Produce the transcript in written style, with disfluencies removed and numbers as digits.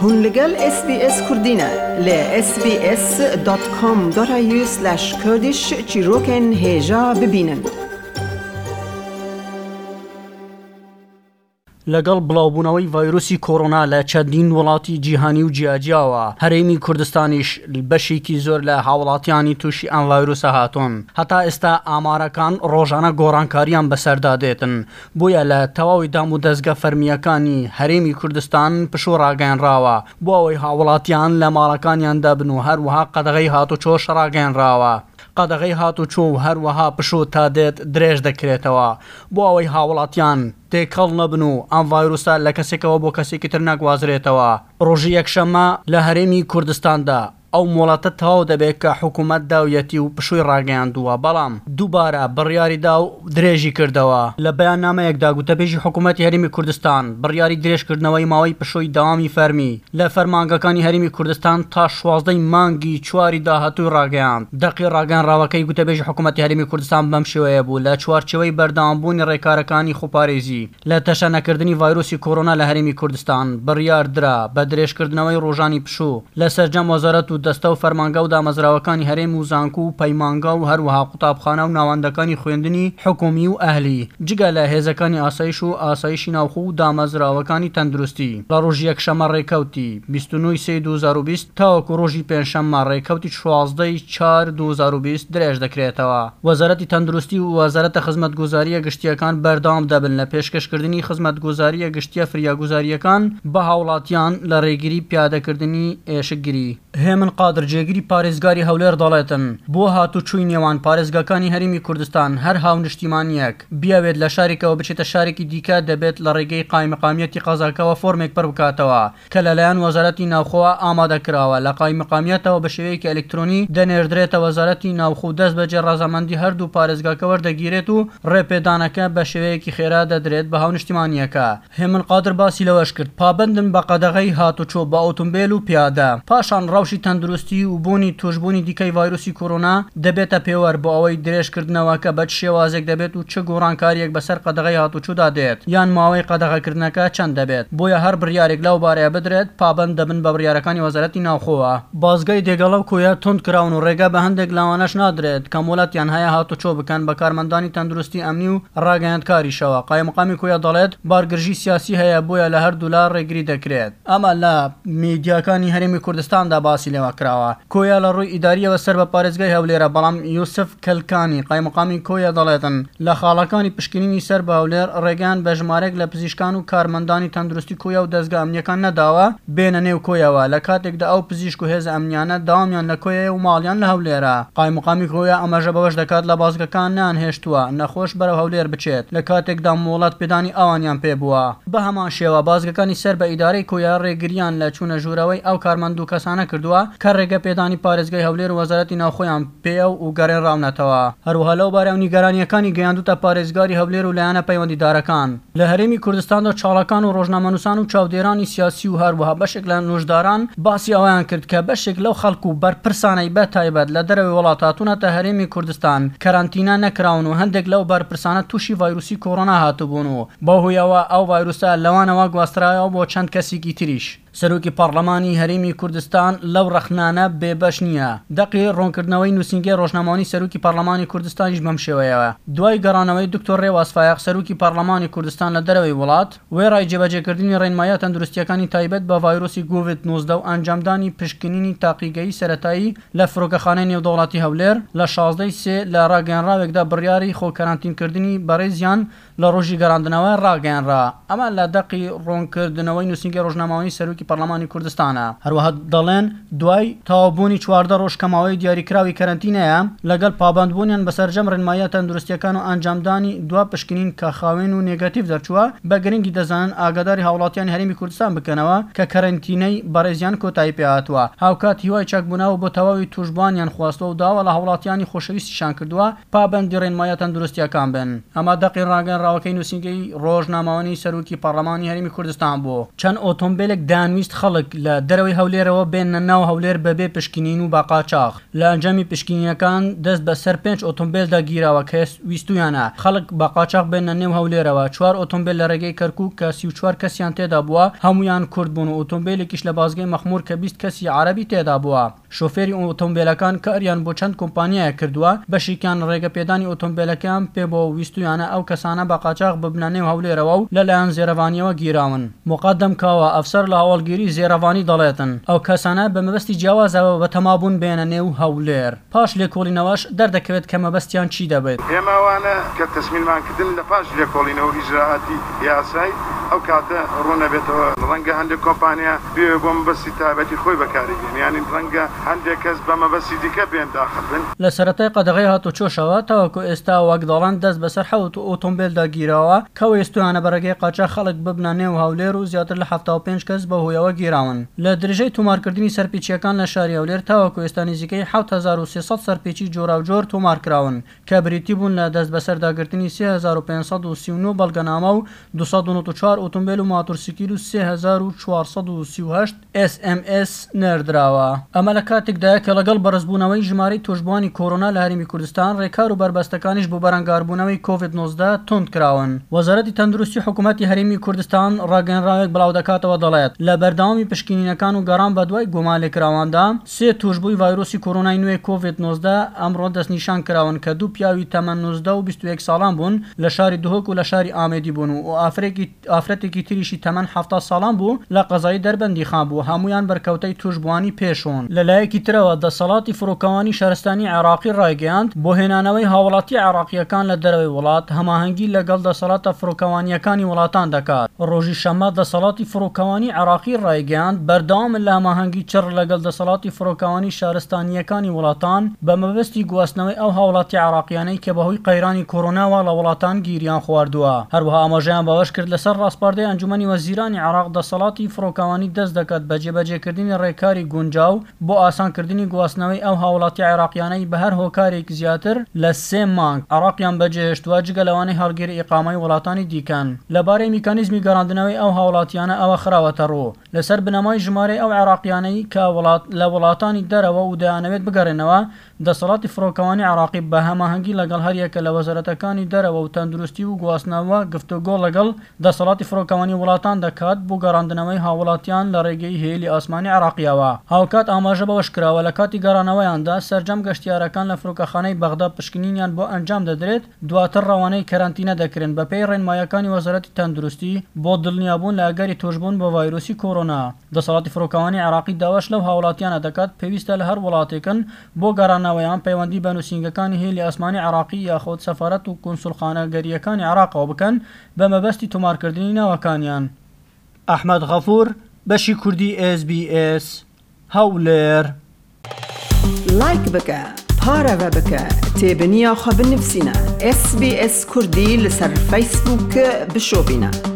Hûn li gel SBS Kurdî ne li sbs.com.au/kurdish çîrokên hêja bibînin. لەگەڵ بڵاوبوونەوەی ڤایرۆسی کۆرۆنا لە چەندین وڵاتی جیهانی و جیاجیاوە، هەرێمی کوردستانیش بەشێکی زۆر لە هاوڵاتیانی تووشی ئەم ڤایرۆسە هاتوون. هەتا ئێستا ئامارەکان ڕۆژانە گۆڕانکارییان بەسەردا دێتن، بۆیە لە تەواوی دامودەزگە فەرمییەکانی هەرێمی کوردستان پشوو ڕاگەیەنراوە بۆ ئەوەی هاوڵاتیان لە ماڵەکانیاندا بن و هەروەها قەدەغەی هاتوچۆش ڕاگەیەنراوە. قەدەغەی هاتوچۆ و هەروەها پشوو تا دێت درێژ دەکرێتەوە بۆ ئەوەی هاوڵاتیان تێکەڵ نەبن و ئەم ڤایرۆسە لە کەسێکەوە بۆ کەسێکی تر نەگوازرێتەوە. ڕۆژی یەکشەممە لە هەرێمی کوردستاندا ئەو مۆڵەتە تەواو دەبێت کە حکومەت داویەتی و پشووی ڕاگەیاندووە، بەڵام دووبارە بڕیاری دا و درێژی کردەوە. لە بەیاننامەیەکدا گوتەبێژی حکومەتی هەرێمی کوردستان بڕیاری درێژکردنەوەی ماوەی پشووی دەوامی فەرمی لە فەرمانگەکانی هەرێمی کوردستان تا 16 ی مانگی چواری داهاتووی ڕاگەیاند. دەقی ڕاگەیەنراوەکەی گوتەبێژی حکومەتی هەرێمی کوردستان بەم شێوەیە بوو، لە چوارچێوەی بەردەوامبوونی ڕێکارەکانی خۆپارێزی لە تەشەنەکردنی ڤایرۆسی کۆرۆنا لە هەرێمی کوردستان، بڕیار درا بە درێژکردنەوەی ڕۆژانی پشوو لە سەرجەم وەزارەت و دەستە و فەرمانگە و دامەزراوەکانی هەرێم و زانکۆ و پەیمانگا و هەروەها قوتابخانە و ناوەندەکانی خوێندنی حکومی و ئەهلی جگە لە هێزەکانی ئاسایش و ئاسایشی ناوخۆ و دامەزراوەکانی تەندروستی لە ڕۆژی یەکشەممە ڕێکەوتی 29 ی سێی 2020 تاوەکو ڕۆژی پێنجشەممە ڕێکەوتی 16 ی چوار 2020 درێژ دەکرێتەوە. وەزارەتی تەندروستی و وەزارەتە خزمەتگوزارییە گشتییەکان بەردەوام دەبن لە پێشکەشکردنی خزمەتگوزارییە گشتییە فریاگوزارییەکان بە هاوڵاتیان لە ڕێگری پیادەکردنی ئێشکگری. هێمن قادر جێگری پارێزگاری هەولێر دەڵێتن، بۆ هاتوچووی نێوان پارێزگاکانی هەرێمی کوردستان هەر هاونیشتیمانییەک بیەوێت لە شارێکەوە بچێتە شارێکی دیکە دەبێت لە ڕێگەی قایمقامیەتی قەزاکەوە فۆرمێک پڕبکاتەوە کە لەلایەن وەزارەتی ناوخۆوە ئامادەکراوە، لە قایمقامیەتەوە بە شێوەیەکی ئەلکترۆنی دەنێردرێتە وەزارەتی ناوخۆ و دەستبەجێ ڕەزامەندی هەردوو پارێزگاکە وەردەگیرێت و ڕێپێدانەکە بە شێوەیەکی خێرا دەدرێت بە هاونیشتیمانییەکە. هێمن قادر باسی لەوەشکرد، پابەندن بە قەدەغەی هاتوچۆ بە ئۆتۆمبێل و پیادە، پاشان ڕەوشی تەندروستی و بوونی تووشبوونی دیکەی ڤایرۆسی کۆرۆنا دەبێتە پێوەر بۆ ئەوەی درێژکردنەوەکە بە چ شێوازێک دەبێت و چ گۆڕانکارییەک بەسەر قەدەغەی هاتوچۆدا دێت یان ماوەی قەدەغەکردنەکە چەند دەبێت، بۆیە هەر بڕیارێک لەو بارەیە بدرێت پابەند دەبن بە بڕیارەکانی وەزارەتی ناوخۆوە. بازگەی دێگەڵە و کۆیە توند کراون و ڕێگە بە هەندێک لەوانەش نادرێت کە مۆڵەتیان هەیە هاتوچۆ بکەن بە کارمەندانی تەندروستی ئەمنی و ڕاگەیاندکاریشەوە. قایمقامی کۆیە دەڵێت، بارگرژی سیاسی هەیە بۆیە لە هەردوولا ڕێگری دەکرێت. ئەمە لە میدیاکانی هەرێمی کوردستاندا باسی لێوە کراوە. کۆیە لە ڕووی ئیدارییەوە سەر بە پارێزگای هەولێرە، بەڵام یوسف کلکانی، قایمقامی کۆیە دەڵێتن، لە خاڵەکانی پشکنینی سەر بە هەولێر ڕێگەیان بە ژمارەیەک لە پزیشکان و کارمەندانی تەندروستی کۆیە و دەزگا ئەمنییەکان نەداوە بێنە نێو کۆیەوە، لە کاتێکدا ئەو پزیشک و هێزە ئەمنییانە دەوامیان لە کۆیەیە و ماڵیان لە هەولێرە. قایمقامی کۆیە ئاماژە بەوەش دەکات، لە بازگەکان نەیانهێشتووە نەخۆش بەرەو هەولێر بچێت، لە کاتێکدا مۆڵەت پێدانی ئەوانیان پێبووە. بەهەمان شێوە بازگەکانی سەر بە ئیدارەی کۆیە ڕێگرییان لە چوونە ژوورەوەی ئەو کارمەند و کەسانە کردووە کە ڕێگە پێدانی پارێزگای هەولێر و وەزارەتی ناوخۆیان پێیە و گەڕێنراونەتەوە. هەروەها لەو بارەیەوە نیگەرانییەکانی گەیاندووتە پارێزگاری هەولێر و لایەنە پەیوەندیدارەکان. لە هەرێمی کوردستاندا چالاکان و ڕۆژنامەنووسان و چاودێرانی سیاسی و هەروەها بەشێک لە نووشداران باسی ئەوەیان کرد کە بەشێک لەو خەڵک و بەرپرسانەی بە تایبەت لە دەرەوەی وڵات هاتوونەتە هەرێمی کوردستان کەرەنتینە نەکراون و هەندێک لەو بەرپرسانە تووشی ڤایرۆسی کۆرۆنا هاتبوون و بەو هۆیەوە ئەو ڤایرۆسە لەوانەوە گواسترایەوە بۆ چەند کەسێکی تریش. سەرۆکی پەڕلەمانی هەرێمی کوردستان لەو ڕەخنانە بێ بەش نییە. دەقی ڕوونکردنەوەی نووسینگەی ڕۆژنامەوانی سەرۆکی پەڕلەمانی کوردستانیش بەم شێوەیەوە، دوای گەڕانەوەی دکتۆر ڕێواز فایەق سەرۆکی پەڕلەمانی کوردستان لە دەرەوەی وڵات، وێڕای جێبەجێکردنی ڕێنماییە تەندروستییەکانی تایبەت بە ڤایرۆسی گۆڤید 19 و ئەنجامدانی پشکنینی تاقیگەیی سەرەتایی لە فرۆکەخانەی نێودەوڵەتی هەولێر لە 16 ی سێ لە ڕاگەیەنراوێکدا بڕیاری خۆ کەرەنتینکردنی بەڕێزیان لە ڕۆژی گەڕاندنەوە ڕاگەیەنرا. ئەمە لە دەقی ڕوونکردنەوەی نووسینگەی ڕۆژنامەوانی سەرۆکی پەڕلەمانی کوردستانە. هەروەها دەڵێن، دوای تەواوبوونی 14 ڕۆژ کە ماوەی دیاریکراوی کەرەنتینەیە، لەگەڵ پابەندبوونیان بە سەرجەم ڕێنماییە تەندروستییەکان و ئەنجامدانی دوا پشکنین کە خاوێن و نێگەتیڤ دەرچووە، بە گرنگی دەزانن ئاگاداری هاوڵاتیانی هەرێمی کوردستان بکەنەوە کە کەرەنتینەی بەڕێزیان کۆتایی پێهاتووە. هاوکات هیوای چاکبوونەوە بۆ تەواوی تووشبووانیان خواستووە و داوا لە هاوڵاتیانی خۆشەویستیشان کردووە پابەندی ڕێنماییە تەندروستییەکان بن. ئەمە دەقی ڕاگەیەنراوەکەی نووسینگەی ڕۆژنامەوانی سەرۆکی پەڕلەمانی هەرێمی کوردستان بوو. چەند ئۆتۆمبێلێک دەیانویست دەیانویست خەڵک لە دەرەوەی هەولێرەوە بێننە ناو هەولێر بەبێ پشکنین و بە قاچاخ. لە ئەنجامی پشکنینەکان دەست بەسەر پێنج ئۆتۆمبێلدا گیراوە کە ویستوویانە خەڵک بە قاچاخ بێننە نێو هەولێرەوە، چوار ئۆتۆمبێل لە رێگەی کەرکووک کە 34 کەسیان تێدا بووە هەموویان کورد بوون و ئۆتۆمبێلێکیش لە بازگەی مەخموور کە 20 کەسی عەرەبی تێدا بووە. شۆفێری ئۆتۆمبێلەکان کاریان بۆ چەند کۆمپانیایەک کردووە، بەشێکیان رێگەپێدانی ئۆتۆمبێلەکەیان پێبووە و ویستوویانە ئەو کەسانە بە قاچاخ ببنە نێو هەولێرەوە و لەلایەن زێرەڤانییەوە گیراون. موقەدەم کاوە، ئەفسەر لە هەواڵگیری زێرەڤانی دەڵێتن، ئەو کەسانە بە مەبەستی جیاوازەوە بەتەمابوون بێنە نێو هەولێر. پاش لێکۆڵینەوەش دەردەکەوێت کە مەبەستیان چی دەبێت. ئێمە ئەوانە کە تەسمیلمان کردن لە پاش لێکۆڵینەوە و ئیجرائاتی یاسای ئەو کاتە ڕوون ئەبێتەوە ڕەنگە هەندێک کۆمپانیا بێوێ بۆ مەبەستی تایبەتی خۆی بەکاری بێنێ یانی ڕەنگە هەندێک کەس بە مەبەستی دیکە بێن داخل بن. لە سەرەتای قەدەغەی هاتوچۆشەوە تاوەکو ئێستا وەک دەڵێن دەست بەسەر حەوت ئۆتۆمبێلدا گیراوە کە ویستویانە بە ڕێگەی قاچاخ خەڵک ببنە نێو هەولێر و زیاتر لە 75 کەس بەو هۆیەوە گیراون. لە درێژەی تۆمارکردنی سەرپێچییەکان لە شاری هەولێر تاوەکو ئێستا نزیکەی 7300 سەرپێچی جۆراوجۆر تۆمارکراون کە بریتی بوون لە دەستبەسەرداگرتنی 3539 بەڵگەنامە و 294 ئۆتۆمبێل و ماتۆرسکیل و 3438 ئێس ئێم ئێس نێردراوە. ئەمە لە کاتێکدایە کە لەگەڵ بەرزبوونەوەی ژمارەی تووشبووانی کۆرۆنا لە هەرێمی کوردستان، رێکار و بەربەستەکانیش بۆ بەرەنگاربوونەوەی کۆڤید 19 توند کراون. وەزارەتی تەندروستی حکومەتی هەرێمی کوردستان راگەیەنراوێک بڵاودەکاتەوە دەڵێت، لە بەردەوامی پشکنینەکان و گەڕان بەدوای گومانلێکراواندا، سێ تووشبووی ڤایرۆسی کۆرۆنای نوێ کۆڤید 19 ئەمڕۆ دەستنیشان کراون کە دوو پیاوی تەمەن 19 و 21 ساڵان بوون لە شاری دهۆک و لە شاری ئامێدی بوون و ئافرەتێکی تریشی تەمەن 70 ساڵان بوو لە قەزای دەربەندیخان بوو، هەموویان بەرکەوتەی تووشبووانی پێشوون. لەلایەکی ترەوە دەسەڵاتی فڕۆکەوانی شارستانی عێراقی ڕایگەیاند، بۆ هێنانەوەی هاوڵاتییە عێراقییەکان لە دەرەوەی وڵات، هەماهەنگی لەگەڵ دەسەڵاتە فڕۆکەوانییەکانی وڵاتان دەکات. ڕۆژی شەممە دەسەڵاتی فڕۆکەوانی عێراقی ڕایگەیاند، بەردەوامن لە هەماهەنگی چڕ لەگەڵ دەسەڵاتی فڕۆکەوانی شارستانییەکانی وڵاتان بە مەبەستی گواستنەوەی ئەو هاوڵاتییە عێراقییانەی کە بەهۆی قەیرانی کۆرۆناوە لە وڵاتان گیریان خواردووە. هەروەها ئاماژەیان بەوەشکرد، لەسەر ڕاسپاردەی ئەنجومەنی وەزیرانی عێراق دەسەڵاتی فڕۆکەوانی دەست دەکات بە جێبەجێکردنی ڕێکاری گونجاو بۆ ئاسانکردنی گواستنەوەی ئەو هاوڵاتیە عێراقیانەی بە هەر هۆکارێک زیاتر لە سێ مانگ عێراقیان بەجێهێشتووە جگە لەوانەی هەڵگری ئیقامەی وڵاتانی دیکەن. لەبارەی میکانیزمی گەڕاندنەوەی ئەو هاوڵاتیانە ئەوە خراوەتەڕوو، لەسەر بنەمای ژمارەی ئەو عێراقیانەی کە لە وڵاتانی دەرەوە و دەیانەوێت بگەڕێنەوە، دەسەڵاتی فڕۆکەوانی عێراقی بە هەماهەنگی لەگەڵ هەریەکە لە وەزارەتەکانی دەرەوە و تەندروستی و گواستنەوە گفتوگۆ لەگەڵ دەسەڵاتی فڕۆکەوانی وڵاتان دەکات بۆ گەڕاندنەوەی هاوڵاتیان لە ڕێگەی هێلی ئاسمانی عێراقییەوە. هاوکات ئاماژە بەوەشکراوە، لە کاتی گەڕانەوەیاندا سەرجەم گەشتیارەکان لە فڕۆکەخانەی بەغدا پشکنینیان بۆ ئەنجام دەدرێت، دواتر ڕەوانەی کەرەنتینە دەکرێن بەپێی ڕێنماییەکانی وەزارەتی تەندروستی بۆ دڵنیابوون لە ئەگەری تووشبوون بە ڤایرۆسی کۆرۆنا. دەسەڵاتی فڕۆکەوانی عێراقی داواش لەو هاوڵاتیانە دەکات پێویستە لە هەر وڵاتێکن بۆ گەڕانەوەیان پەیوەندی بە نووسینگەکانی هێلی ئاسمانی عێراقی یاخود سەفارەت و کونسوڵخانەگەرییەکانی عێراقەوە بکەن بە مەبەستی تۆمارکردنی ناوەکانیان. ئەحمەد غەفور، بەشی کوردی ئێس بی ئێس، هەولێر. لایک بکە پارەڤە بکە تێبنیا خو بنفسینە SسBS کوردی لەسەر فەیسبووک بشۆبینە.